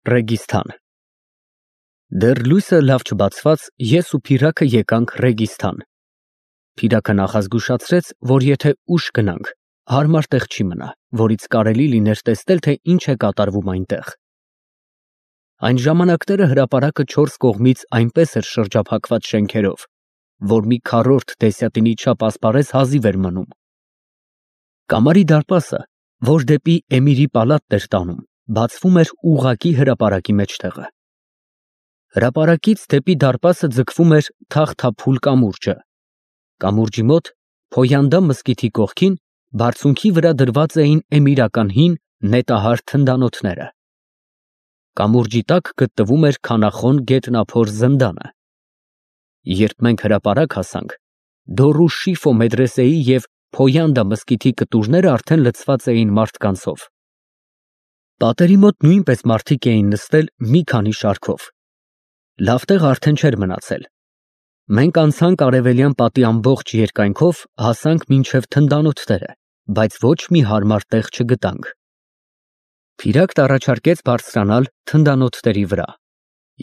Ռեգիստան։ Դեռ լույսը լավ չբացված, ես ու Փիրակը եկանք Ռեգիստան։ Փիրակը նախազգուշացրեց, որ եթե ուշ գնանք, հարմար տեղ չի մնա, որից կարելի լիներ տեսնել, թե ինչ է կատարվում այնտեղ։ Այն ժամանակները հրապարակը 4 կողմից այնպես էր շրջափակված շենքերով, որ մի քառորդ դեսյատինի չափ ասպարեզ հազիվ էր մնում։ Կամարի դարպասը, որ դեպի Էմիրի պալատն էր տանում, բացվում էր ուղղակի հրապարակի մեջտեղը։ Հրապարակից դեպի դարպասը ձգվում էր թախթափուլ կամուրջը։ Կամուրջի մոտ, Փոյանդա մզկիթի կողքին, բարձունքի վրա դրված էին էմիրական հին նետահար թնդանոթները։ Կամուրջի տակ գտնվում էր քանախոն գետնափոր զնդանը։ Երբ մենք հրապարակ հասանք, Դորու Շիֆո մեդրեսեի և Փոյանդա մզկիթի կտուրները արդեն լցված էին մարդկանցով։ Պատերի մոտ նույնպես մարդիկ էին նստել մի քանի շարքով։ Լավ տեղ արդեն չէր մնացել։ Մենք անցանք արևելյան պատի ամբողջ երկայնքով, հասանք մինչև թնդանոթները, բայց ոչ մի հարմար տեղ չգտանք։ Փիրակն առաջարկեց բարձրանալ թնդանոթների վրա,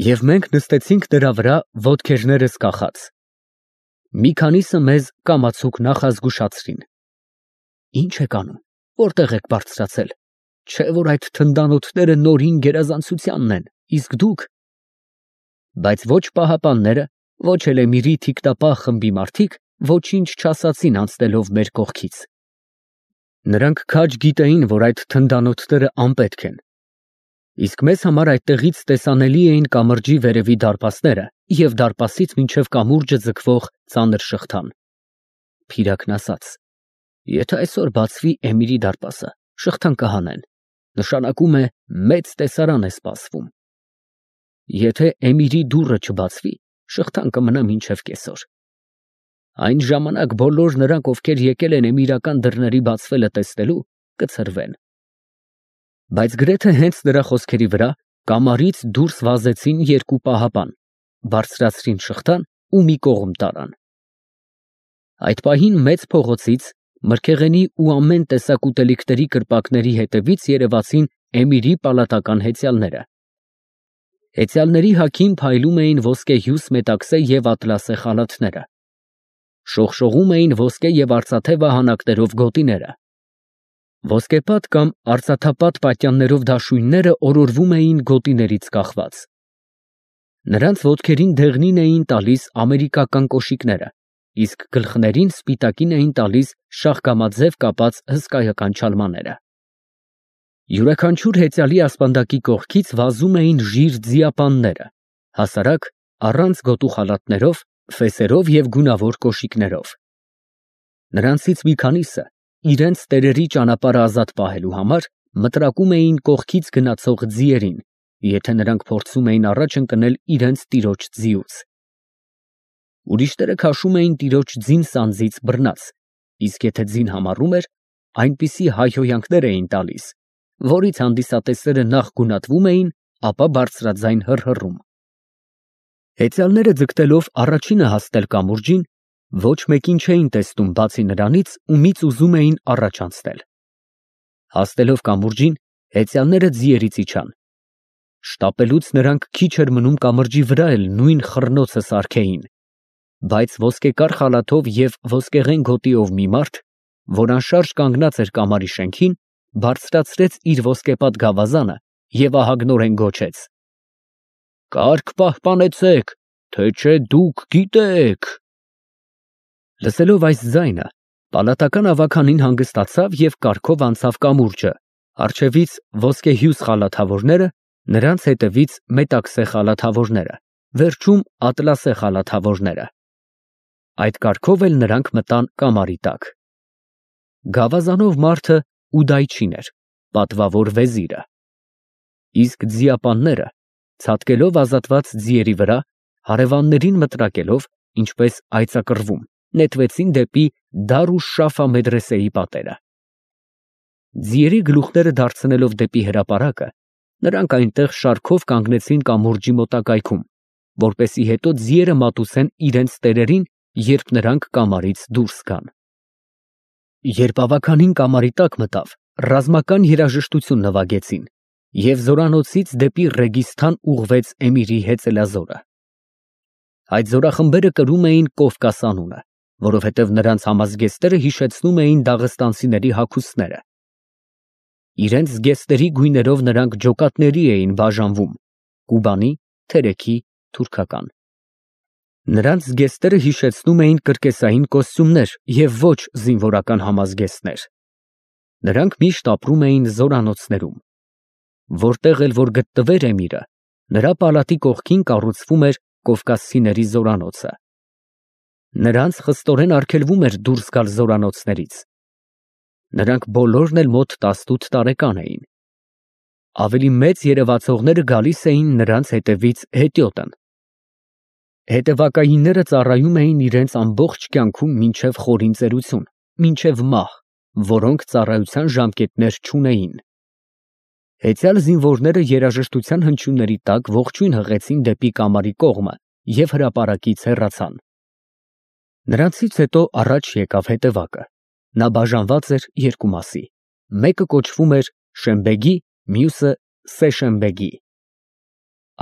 և մենք նստեցինք դրա վրա ոտքերներս կախած։ Մի քանիսը մեզ կամացուկ նախազգուշացրին. Ինչ եք անում, որտեղ եք բարձրացել, չէ՞ որ այդ թնդանոթները նորին գերազանցությանն են, իսկ դուք… Բայց ոչ պահապանները, ոչ էլ Էմիրի թիկնապահ խմբի մարդիկ ոչինչ չասացին անցնելով մեր կողքից։ Նրանք քաջ գիտեին, որ այդ թնդանոթները անպետք են, իսկ մեզ համար այդտեղից տեսանելի էին կամրջի վերևի դարպասները և դարպասից մինչև կամուրջը ձգվող ծանր շղթան։ Փիրակն ասաց. եթե այսօր բացվի Էմիրի դարպասը, շղթան կհանեն, նշանակում է մեծ տեսարան է սպասվում։ Եթե Էմիրի դուռը չբացվի, շղթան կմնա մինչև կեսօր։ Այն ժամանակ բոլոր նրանք, ովքեր եկել են էմիրական դռների բացվելը տեսնելու, կցրվեն։ Բայց գրեթե հենց նրա խոսքերի վրա կամարից դուրս վազեցին երկու պահապան, բարձրացրին շղթան ու մի կողմ տարան։ Այդ պահին մեծ փողոցից, մրգեղենի ու ամեն տեսակ ուտելիքների կրպակների հետևից երևացին Էմիրի պալատական հեծյալները։ Հեծյալների հագին փայլում էին ոսկեհյուս մետաքսե և ատլասե խալաթները։ Շողշողում էին ոսկե և արծաթե վահանակներով գոտիները։ Ոսկեպատ կամ արծաթապատ պատյաններով դաշույնները օրորվում էին գոտիներից կախված։ Նրանց ոտքերին դեղնին էին տալիս ամերիկական կոշիկները, իսկ գլխներին սպիտակին էին տալիս շախկամաձև կապած հսկայական չալմաները։ Յուրաքանչյուր հեծյալի ասպանդակի կողքից վազում էին ժիր ձիապանները, հասարակ, առանց գոտու խալաթներով, ֆեսերով և գունավոր կոշիկներով։ Նրանցից մի քանիսը, իրենց տերերի ճանապարհը ազատ պահելու համար, մտրակում էին կողքից գնացող ձիերին, եթե նրանք փորձում էին առաջ ընկնել իրենց տիրոջ ձիուց։ Ուրիշները քաշում էին տիրոջ ձին սանձից բռնած, իսկ եթե ձին համառում էր, այնպիսի հայհոյանքներ էին տալիս, որից հանդիսատեսերը նախ գունատվում էին, ապա բարձրաձայն հռհռում։ Հեծյալները ձգտելով առաջինը հասնել կամուրջին, ոչ մեկին չէին տեսնում բացի նրանից, ումից ուզում էին առաջ անցնել։ Հասնելով կամուրջին, հեծյալները ձիերից իջան։ Շտապելուց նրանք քիչ էր մնում կամրջի վրա էլ նույն խռնոցը սարքեին, բայց ոսկեկար խալաթով և ոսկեղեն գոտիով մի մարդ, որ անշարժ կանգնած էր կամարի շենքին, բարձրացրեց իր ոսկեպատ գավազանը և ահագնորեն գոչեց. «Կարգ պահպանեցեք, թե չէ դուք գիտեք»։ Լսելով այս ձայնը, պալատական ավագանին հանգստացավ և կարգով անցավ կամուրջը, առջևից ոսկեհյուս խալաթավորները, նրանց հետևից մետաքսե խալաթավորները, վերջում ատլասե խալաթավորները։ Այդ կարգով էլ նրանք մտան կամարի տակ։ Գավազանով մարդը Ուդայչին էր, պատվավոր վեզիրը։ Իսկ ձիապանները, ցատկելով ազատված ձիերի վրա, հարևաններին մտրակելով, ինչպես այծակռվում, նետվեցին դեպի Դարուշ Շաֆա մեդրեսեի պատերը։ Ձիերի գլուխները դարձնելով դեպի հրապարակը, նրանք այնտեղ շարքով կանգնեցին կամուրջի մոտակայքում, որպեսզի հետո ձիերը մատուցեն իրենց տերերին, երբ նրանք կամարից դուրս գան։ Երբ ավագանին կամարի տակ մտավ, ռազմական երաժշտություն նվագեցին, և զորանոցից դեպի Ռեգիստան ուղղվեց Էմիրի հեծելազորը։ Այդ զորախմբերը կրում էին Կովկաս անունը, որովհետև նրանց համազգեստները հիշեցնում էին դաղստանցիների հագուստները։ Իրենց զգեստների գույներով նրանք ջոկատների էին բաժանվում՝ կուբանի, թերեքի, թուրքական։ Նրանց զգեստները հիշեցնում էին կրկեսային կոստյումներ և ոչ զինվորական համազգեստներ։ Նրանք միշտ ապրում էին զորանոցներում։ Որտեղ էլ որ գտնվեր Էմիրը, նրա պալատի կողքին կառուցվում էր կովկասցիների զորանոցը։ Նրանց խստորեն արգելվում էր դուրս գալ զորանոցներից։ Նրանք բոլորն էլ մոտ 18 տարեկան էին։ Ավելի մեծ երևացողները գալիս էին նրանց հետևից հետիոտն։ Հետևակայինները ծառայում էին իրենց ամբողջ կյանքում մինչև խորին ծերություն, մինչև մահ, որոնք ծառայության ժամկետներ չունեին։ Հեծյալ զինվորները երաժշտության հնչյունների տակ ողջույն հղեցին դեպի կամարի կողմը և հրապարակից հեռացան։ Նրանցից հետո առաջ եկավ հետևակը։ Նա բաժանված էր երկու մասի։ Մեկը կոչվում էր Շեմբեգի, մյուսը Սեշեմբեգի։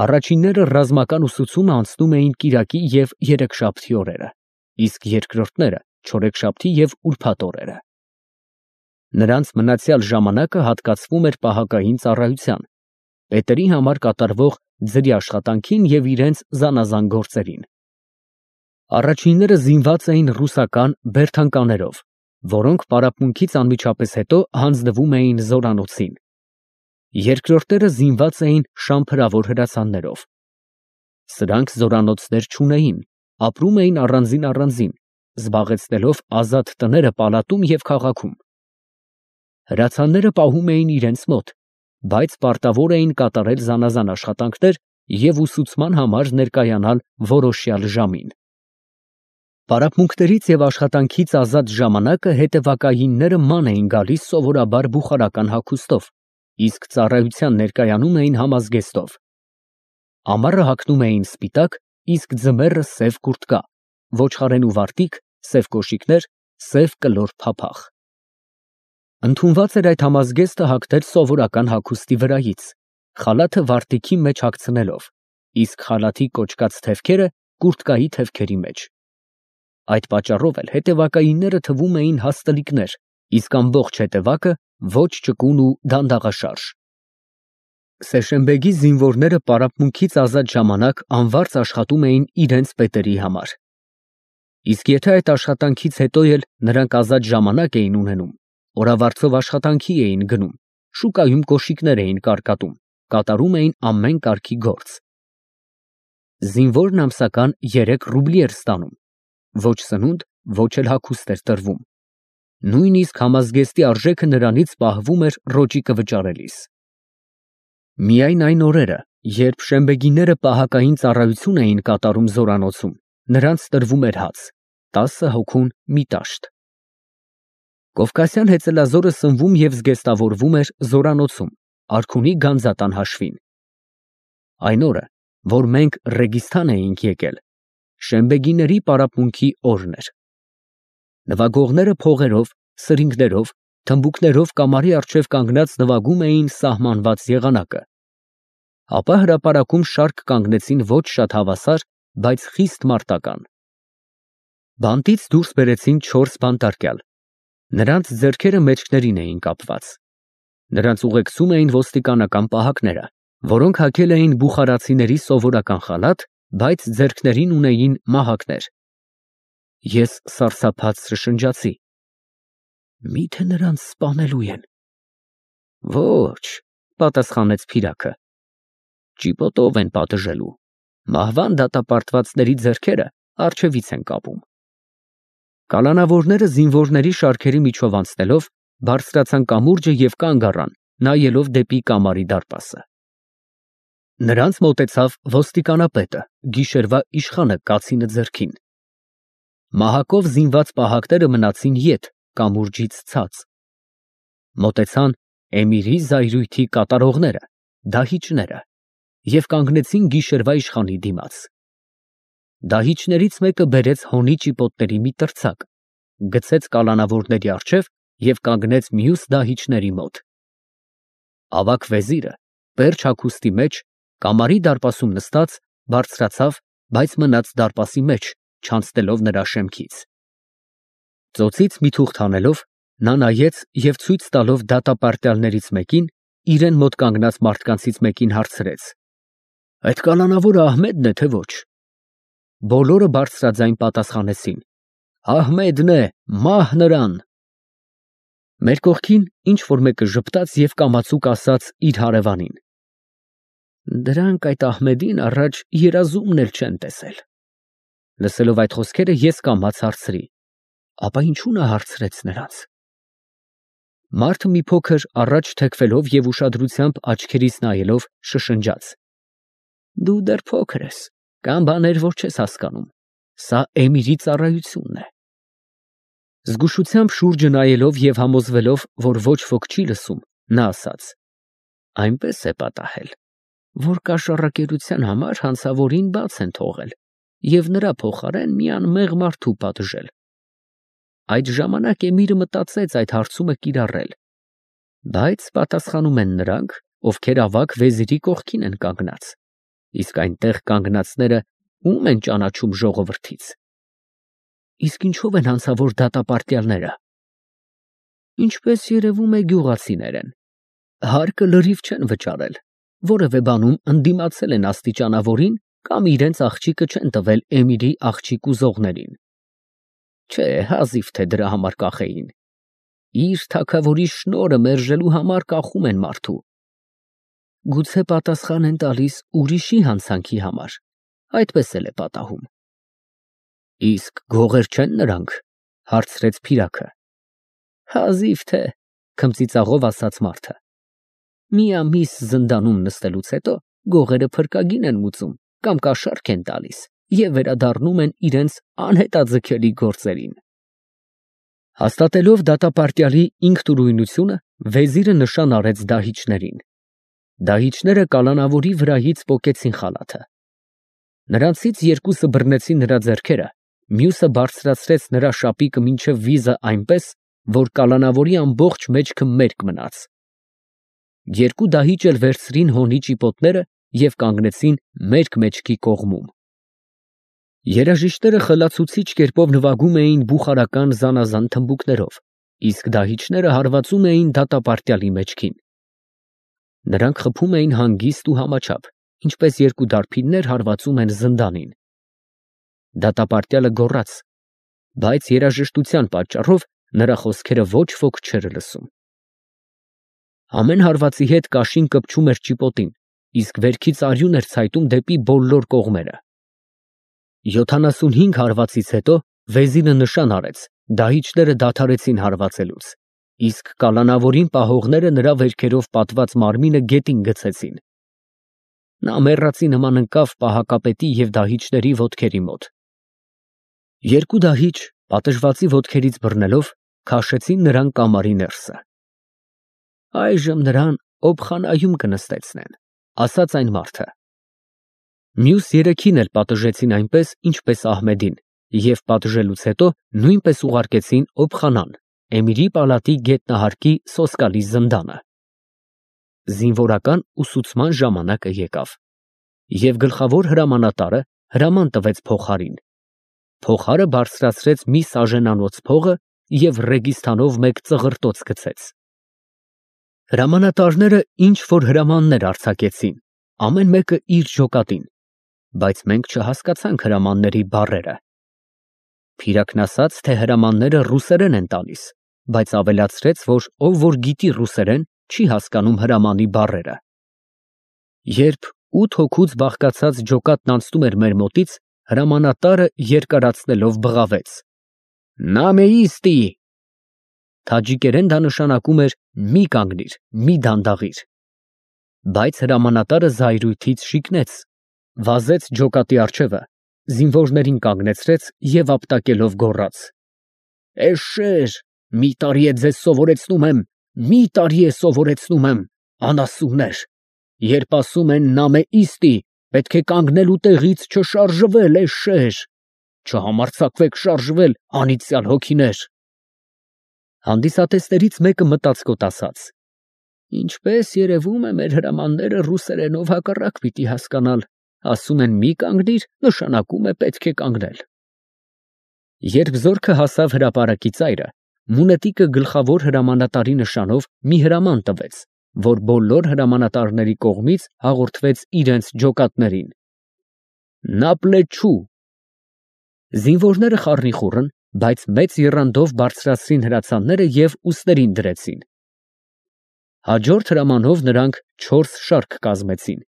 Առաջինները ռազմական ուսուցումը անցնում էին կիրակի և երեքշաբթի օրերը, իսկ երկրորդները չորեքշաբթի և ուրբաթ օրերը։ Նրանց մնացյալ ժամանակը հատկացվում էր պահակային ծառայության, պետերի համար կատարվող ձրի աշխատանքին և իրենց զանազան գործերին։ Առաջինները զինված էին ռուսական բերթանկաներով, որոնք պարապմունքից անմիջապես հետո հանձնվում էին զորանոցին։ Երկրորդները զինված էին շամփրավոր հրացաններով։ Սրանք զորանոցներ չունեին, ապրում էին առանձին, զբաղեցնելով ազատ տները պալատում և քաղաքում։ Հրացանները պահում էին իրենց մոտ, բայց պարտավոր էին կատարել զանազան աշխատանքներ և ուսուցման համար ներկայանալ որոշյալ ժամին։ Պարապմունքներից և աշխատանքից ազատ ժամանակը հետևակայինները ման էին գալիս սովորաբար բուխարական հագուստով, իսկ ծառայության ներկայանում էին համազգեստով։ Ամառը հագնում էին սպիտակ, իսկ ձմեռը սև կուրտկա, ոչխարենու վարտիք, սև կոշիկներ, սև կլոր փափախ։ Ընդունված էր այդ համազգեստը հագնել սովորական հագուստի վրայից, խալաթը վարտիքի մեջ հագցնելով, իսկ խալաթի կոճկած թևքերը կուրտկայի թևքերի մեջ։ Այդ պատճառով էլ հետևակայինները թվում էին հաստլիկներ, իսկ ամբողջ հետևակը ոչ ճկուն ու դանդաղաշարժ։ Սեշեմբեգի զինվորները պարապմունքից ազատ ժամանակ անվարձ աշխատում էին իրենց պետերի համար։ Իսկ եթե այդ աշխատանքից հետո էլ նրանք ազատ ժամանակ էին ունենում, օրավարձով աշխատանքի էին գնում, շուկայում կոշիկներ էին կարկատում, կատարում էին ամեն կարգի գործ։ Զինվորն ամսական 3 ռուբլի էր ստանում, ոչ սնունդ, ոչ էլ հագուստ էր տրվում։ Նույնիսկ համազգեստի արժեքը նրանից պահվում էր ռոճիկը վճարելիս։ Միայն այն օրերը, երբ շեմբեգիները պահակային ծառայություն էին կատարում զորանոցում, նրանց տրվում էր հաց, 10 հոգուն մի տաշտ։ Կովկասյան հեծելազորը սնվում և զգեստավորվում էր զորանոցում, արքունի գանձատան հաշվին։ Այն օրը, որ մենք Ռեգիստան էինք եկել, շեմբեգիների պարապմունքի օրն էր։ Նվագողները փողերով, սրինգներով, թմբուկներով կամարի առջև կանգնած նվագում էին սահմանված եղանակը։ Ապա հրապարակում շարք կանգնեցին ոչ շատ հավասար, բայց խիստ մարտական։ Բանտից դուրս բերեցին 4 բանտարկյալ։ Նրանց ձեռքերը մեջքներին էին կապված։ Նրանց ուղեկցում էին ոստիկանական պահակները, որոնք հագել էին բուխարացիների սովորական խալաթ, բայց ձեռքներին ունեին մահակներ։ Ես սարսափած շշնջացի. «Մի՞թե նրանց սպանելու են»։ «Ոչ», պատասխանեց Փիրակը, «ճիպոտով են պատժելու, մահվան դատապարտվածների ձեռքերը առջևից են կապում»։ Կալանավորները զինվորների շարքերի միջով անցնելով բարձրացան կամուրջը և կանգ առան, նայելով դեպի կամարի դարպասը։ Նրանց մոտեցավ ոստիկանապետը, գիշերվա իշխանը կացինը ձեռքին։ Մահակով զինված պահակները մնացին ետ, կամուրջից ցած։ Մոտեցան Էմիրի զայրույթի կատարողները, դահիճները, և կանգնեցին գիշերվա իշխանի դիմաց։ Դահիճներից մեկը բերեց հոնի ճիպոտների մի տրցակ, գցեց կալանավորների առջև և կանգնեց մյուս դահիճների մոտ։ Ավագ վեզիրը Վերջ հագուստի մեջ, կամարի դարպասում նստած, բարձրացավ, բայց մնաց դարպասի մեջ, չանցնելով նրա շեմքից։ Ծոցից մի թուղթ հանելով, նա նայեց և ցույց տալով դատապարտյալներից մեկին, իրեն մոտ կանգնած մարդկանցից մեկին հարցրեց. «Այդ կալանավորը Ահմեդն է, թե ոչ»։ Բոլորը բարձրաձայն պատասխանեցին. «Ահմեդն է, մահ նրան»։ Մեր կողքին ինչ-որ մեկը ժպտաց և կամացուկ ասաց իր հարևանին. «Դրանք այդ Ահմեդին առաջ երազումն էլ չեն տեսել»։ Լսելով այդ խոսքերը ես կամաց հարցրի. «Ապա ինչու նա հարցրեց նրանց»։ Մարդը մի փոքր առաջ թեքվելով և ուշադրությամբ աչքերիս նայելով շշնջաց. «Դու դեռ փոքր ես, կան բաներ, որ չես հասկանում, սա Էմիրի ծառայությունն է»։ Զգուշությամբ շուրջը նայելով և համոզվելով, որ ոչ ոք չի լսում, նա ասաց. «Այնպես է պատահել, որ կաշառակերության համար հանցավորին բաց են թողել և նրա փոխարեն մի անմեղ մարդու պատժել։ Այդ ժամանակ Էմիրը մտածեց այդ հարցումը կիրառել, բայց պատասխանում են նրանք, ովքեր ավագ վեզիրի կողքին են կանգնած, իսկ այնտեղ կանգնածները ո՞ւմ են ճանաչում ժողովրդից։ Իսկ ինչով են հանցավոր դատապարտյալները։ Ինչպես երևում է, գյուղացիներ են, հարկը լրիվ չեն վճարել, որևէ բանում ընդդիմացել են աստիճանավորին կամ իրենց աղջիկը չեն տվել Էմիրի աղջիկ ուզողներին։ Չէ, հազիվ թե դրա համար կախեին։ Իր թագավորի շնորհը մերժելու համար կախում են մարդու։ Գուցե պատասխան են տալիս ուրիշի հանցանքի համար, այդպես էլ է պատահում։ Իսկ գողեր չեն նրանք, հարցրեց Փիրակը։ Հազիվ թե, քմծիծաղով ասաց մարդը։ Մի ամիս զնդանում նստելուց հետո գողերը փրկագին են մուծում կամ կաշառք են տալիս և վերադառնում են իրենց անհետաձգելի գործերին։ Հաստատելով դատապարտյալի ինքնուրույնությունը, վեզիրը նշան արեց դահիճներին։ Դահիճները կալանավորի վրայից պոկեցին խալաթը։ Նրանցից երկուսը բռնեցին նրա ձեռքերը, մյուսը բարձրացրեց նրա շապիկը մինչև վիզը այնպես, որ կալանավորի ամբողջ մեջքը մերկ մնաց։ Երկու դահիճ էլ վերցրին հոնի ճիպոտները և կանգնեցին մերկ մեջքի կողմում։ Երաժիշտները խլացուցիչ կերպով նվագում էին բուխարական զանազան թմբուկներով, իսկ դահիճները հարվածում էին դատապարտյալի մեջքին։ Նրանք խփում էին հանգիստ ու համաչափ, ինչպես երկու դարբիններ հարվածում են զնդանին։ Դատապարտյալը գոռաց, բայց երաժշտության պատճառով նրա խոսքերը ոչ ոք չէր լսում։ Ամեն հարվածի հետ կաշին կպչում էր ճիպոտին, իսկ վերքից արյուն էր ցայտում դեպի բոլոր կողմերը։ 75 հարվածից հետո վեզիրը նշան արեց, դահիճները դադարեցին հարվածելուց, իսկ կալանավորին պահողները նրա վերքերով պատված մարմինը գետին գցեցին։ Նա մեռածի նման ընկավ պահակապետի և դահիճների ոտքերի մոտ։ Երկու դահիճ, պատժվածի ոտքերից բռնելով, քաշեցին նրան կամարի ներսը։ Այժմ նրան օբխանայում կնստեցնեն, ասաց այն մարդը։ Մյուս երեքին էլ պատժեցին այնպես, ինչպես Ահմեդին, և պատժելուց հետո նույնպես ուղարկեցին օբխանան, Էմիրի պալատի գետնահարկի սոսկալի զնդանը։ Զինվորական ուսուցման ժամանակը եկավ, և գլխավոր հրամանատարը հրաման տվեց փոխարին։ Փոխարը բարձրացրեց մի սաժենանոց փողը և Ռեգիստանով մեկ ծղրտոց գցեց։ Հրամանատարները ինչ որ հրամաններ արձակեցին, ամեն մեկը իր ջոկատին, բայց մենք չհասկացանք հրամանների բառերը։ Փիրակն ասաց, թե հրամանները ռուսերեն են տալիս, բայց ավելացրեց, որ ով որ գիտի ռուսերեն, չի հասկանում հրամանի բառերը։ Երբ 8 հոգուց բաղկացած ջոկատն անցնում էր մեր մոտից, հրամանատարը երկարացնելով բղավեց. «Նամեիստի»։ Թաջիկերեն դա նշանակում էր մի կանգնիր, մի դանդաղիր։ Բայց հրամանատարը զայրույթից շիկնեց, վազեց ջոկատի առջևը, զինվորներին կանգնեցրեց և ապտակելով գոռաց. «Էշշեր, մի տարի է ձեզ սովորեցնում եմ, մի տարի է սովորեցնում եմ, անասուններ, երբ ասում են նամեիստի, պետք է կանգնել ու տեղից չշարժվել, էշշեր, չհամարձակվեք շարժվել, անիծյալ հոգիներ»։ Հանդիսատեսներից մեկը մտածկոտ ասաց. Ինչպես երևում է, մեր հրամանները ռուսերենով հակառակ պիտի հասկանալ, ասում են մի կանգնիր, նշանակում է պետք է կանգնել։ Երբ զորքը հասավ հրապարակի ծայրը, Մունետիկը գլխավոր հրամանատարի նշանով մի հրաման տվեց, որ բոլոր հրամանատարների կողմից հաղորդվեց իրենց ջոկատներին։ Նապլեչու։ Զինվորները խառնիխուռն, բայց մեծ եռանդով բարձրացրին հրացանները և ուսներին դրեցին։ Հաջորդ հրամանով նրանք 4 շարք կազմեցին։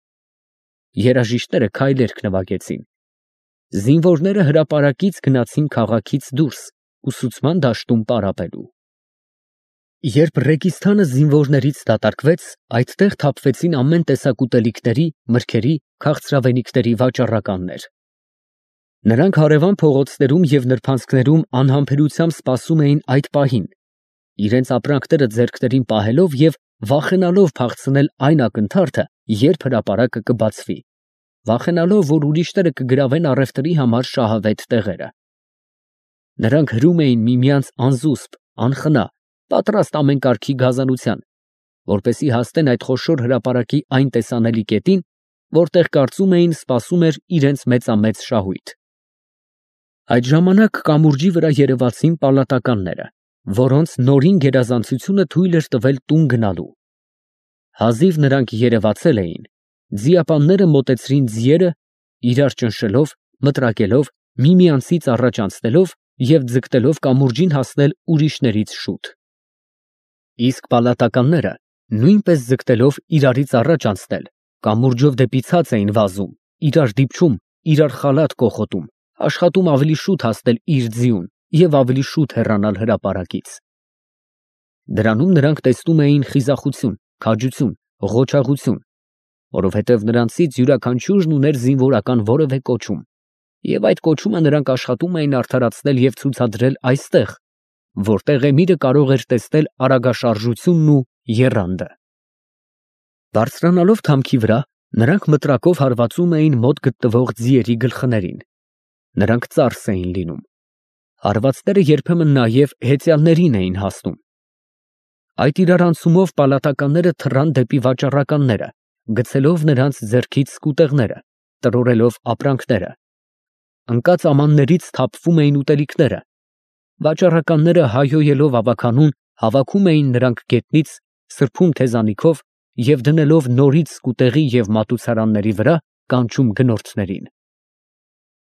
Երաժիշտները քայլերք նվագեցին։ Զինվորները հրապարակից գնացին քաղաքից դուրս, ուսուցման դաշտում պարապելու։ Երբ Ռեգիստանը զինվորներից դատարկվեց, այդտեղ թափվեցին ամեն տեսակ ուտելիքների, մրգերի, քաղցրավենիքների վաճառականներ։ Նրանք հարևան փողոցներում և նրբանցքներում անհամբերությամբ սպասում էին այդ պահին, իրենց ապրանքները ձեռքներին պահելով և վախենալով փախցնել այն ակնթարթը, երբ հրապարակը կբացվի, վախենալով, որ ուրիշները կգրավեն առևտրի համար շահավետ տեղերը։ Նրանք հրում էին միմյանց անզուսպ, անխնա, պատրաստ ամեն կարգի գազանության, որպեսզի հասնեն այդ խոշոր հրապարակի այն տեսանելի կետին, որտեղ կարծում էին սպասում էր իրենց մեծամեծ շահույթ։ Այդ ժամանակ կամուրջի վրա երևացին պալատականները, որոնց նորին գերազանցությունը թույլ էր տվել տուն գնալու։ Հազիվ նրանք երևացել էին, ձիապանները մոտեցրին ձիերը, իրար ճնշելով, մտրակելով, միմյանցից առաջ անցնելով և ձգտելով կամուրջին հասնել ուրիշներից շուտ։ Իսկ պալատականները, նույնպես ձգտելով իրարից առաջ անցնել, կամուրջով դեպի ցած էին վազում, իրար դիպչում, իրար խալաթ կոխոտում, աշխատում ավելի շուտ հասնել իր ձիուն և ավելի շուտ հեռանալ հրապարակից։ Դրանում նրանք տեսնում էին խիզախություն, քաջություն, ղոչաղություն, որովհետև նրանցից յուրաքանչյուրն ուներ զինվորական որևէ կոչում, և այդ կոչումը նրանք աշխատում էին արդարացնել և ցուցադրել այստեղ, որտեղ Էմիրը կարող էր տեսնել արագաշարժությունն ու եռանդը։ Բարձրանալով թամքի վրա, նրանք մտրակով հարվածում էին մոտ գտնվող ձիերի գլխներին։ Նրանք ծարս էին լինում։ Հարվածները երբեմն նաև հեծյալներին էին հասնում։ Այդ իրարանցումով պալատականները թռան դեպի վաճառականները, գցելով նրանց ձեռքից սկուտեղները, տրորելով ապրանքները։ Ընկած ամաններից թափվում էին ուտելիքները։ Վաճառականները հայհոյելով ավագանուն հավաքում էին նրանք գետնից, սրբում թեզանիքով և դնելով նորից սկուտեղի և մատուցարանների վրա կանչում գնորդներին։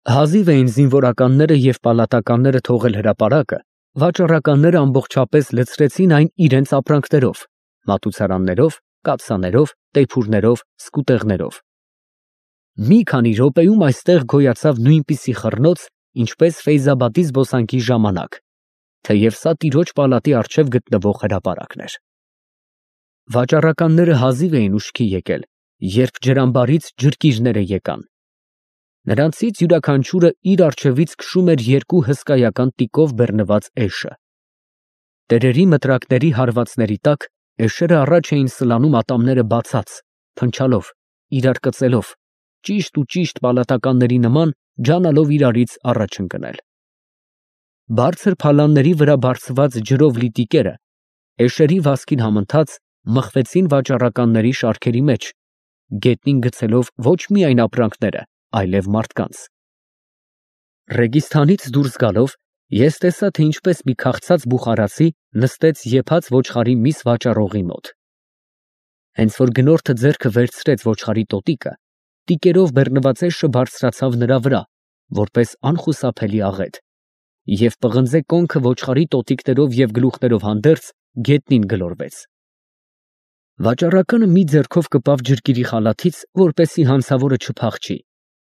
Հազիվ էին զինվորականները և պալատականները թողել հրապարակը, վաճառականները ամբողջապես լցրեցին այն իրենց ապրանքներով, մատուցարաններով, կաթսաներով, տեփուրներով, սկուտեղներով։ Մի քանի րոպեում այստեղ գոյացավ նույնպիսի խռնոց, ինչպես Ֆեյզաբադի զբոսանքի ժամանակ, թեև սա տիրոջ պալատի առջև գտնվող հրապարակն էր։ Վաճառականները հազիվ էին ուշքի եկել, երբ ջրամբարից ջրկիրները եկան։ Նրանցից յուրաքանչյուրը իր առջևից քշում էր 2 հսկայական տիկով բեռնված էշը։ Տերերի մտրակների հարվածների տակ էշերը առաջ էին սլանում ատամները բացած, փնչալով, իրար կծելով, ճիշտ պալատականների նման ջանալով իրարից առաջ ընկնել։ Բարձր փալանների վրա բարձված ջրով լի տիկերը, էշերի վազքին համընթաց, մխվեցին վաճառականների շարքերի մեջ, գետնին գցելով ոչ միայն ապրանքները, այլև մարդկանց։ Ռեգիստանից դուրս գալով, ես տեսա, թե ինչպես մի քաղցած բուխարացի նստեց եփած ոչխարի միս վաճառողի մոտ։ Հենց որ գնորդը ձեռքը վերցրեց ոչխարի տոտիկը, տիկերով բեռնված էշը բարձրացավ նրա վրա, որպես անխուսափելի աղետ, և պղնձե կոնքը ոչխարի տոտիկներով և գլուխներով հանդերձ գետնին գլորվեց։ Վաճառականը մի ձեռքով կպավ ջրկիրի խալաթից, որպեսզի հանցավորը չփախչի,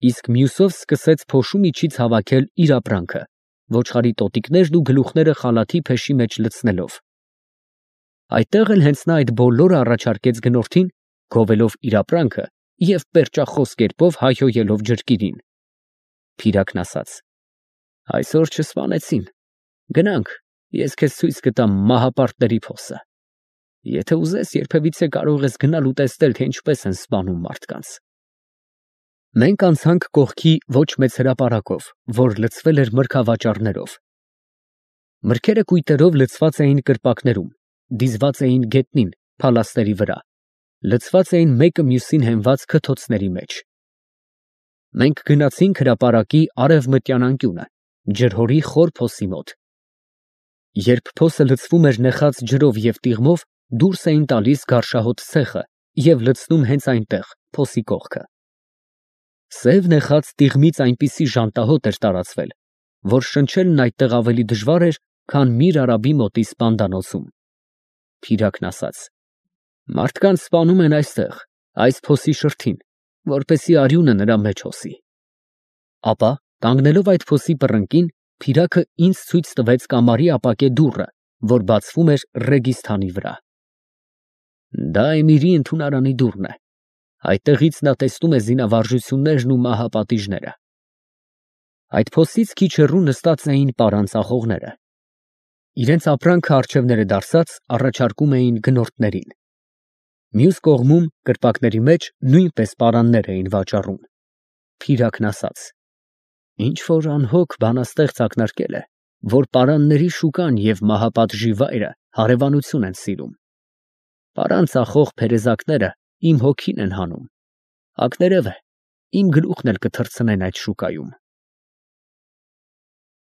իսկ մյուսով սկսեց փոշու միջից հավաքել իր ապրանքը, ոչխարի տոտիկներն ու գլուխները խալաթի փեշի մեջ լցնելով։ Այդտեղ էլ հենց նա այդ բոլորը առաջարկեց գնորդին, գովելով իր ապրանքը և պերճախոս կերպով հայհոյելով ջրկիրին։ Փիրակն ասաց. «Այսօր չսպանեցին, գնանք, ես քեզ ցույց կտամ մահապարտների փոսը։ Եթե ուզես, երբևիցե կարող ես գնալ ու տեսնել, թե ինչպես են սպանում մարդկանց»։ Մենք անցանք կողքի ոչ մեծ հրապարակով, որ լցվել էր մրգավաճառներով։ Մրգերը կույտերով լցված էին կրպակներում, դիզված էին գետնին, փալաստերի վրա, լցված էին մեկը մյուսին հենված քթոցների մեջ։ Մենք գնացինք հրապարակի արևմտյան անկյունը, ջրհորի խոր փոսի մոտ։ Երբ փոսը լցվում էր նեխած ջրով և տիղմով, դուրս էին տալիս գարշահոտ ցեխը և լցնում հենց այնտեղ, փոսի կողքը։ Սև նեխած տիղմից այնպիսի ժանտահոտ էր տարածվել, որ շնչելն այդտեղ ավելի դժվար էր, քան Միր Արաբի մոտի սպանդանոցում։ Փիրակն ասաց. «Մարդկանց սպանում են այստեղ, այս փոսի շրթին, որպեսզի արյունը նրա մեջ հոսի»։ Ապա, կանգնելով այդ փոսի պռնկին, Փիրակը ինձ ցույց տվեց կամարի ապակե դուռը, որ բացվում էր Ռեգիստանի վրա։ Դա Էմիրի ընդունարանի դուռն է։ Այդտեղից նա տեսնում է զինավարժություններն ու մահապատիժները։ Այդ փոսից քիչ հեռու նստած էին պարան ծախողները։ Իրենց ապրանքը առջևները դարսած առաջարկում էին գնորդներին։ Մյուս կողմում, կրպակների մեջ, նույնպես պարաններ էին վաճառում։ Փիրակն ասաց. «Ինչ որ անհոգ բանաստեղծ ակնարկել է, որ պարանների շուկան և մահապատժի վայրը հարևանություն են սիրում։ Պարան ծախող փերեզակները իմ հոգին են հանում։ Ակներևը, իմ գլուխն էլ կթռցնեն այդ շուկայում»։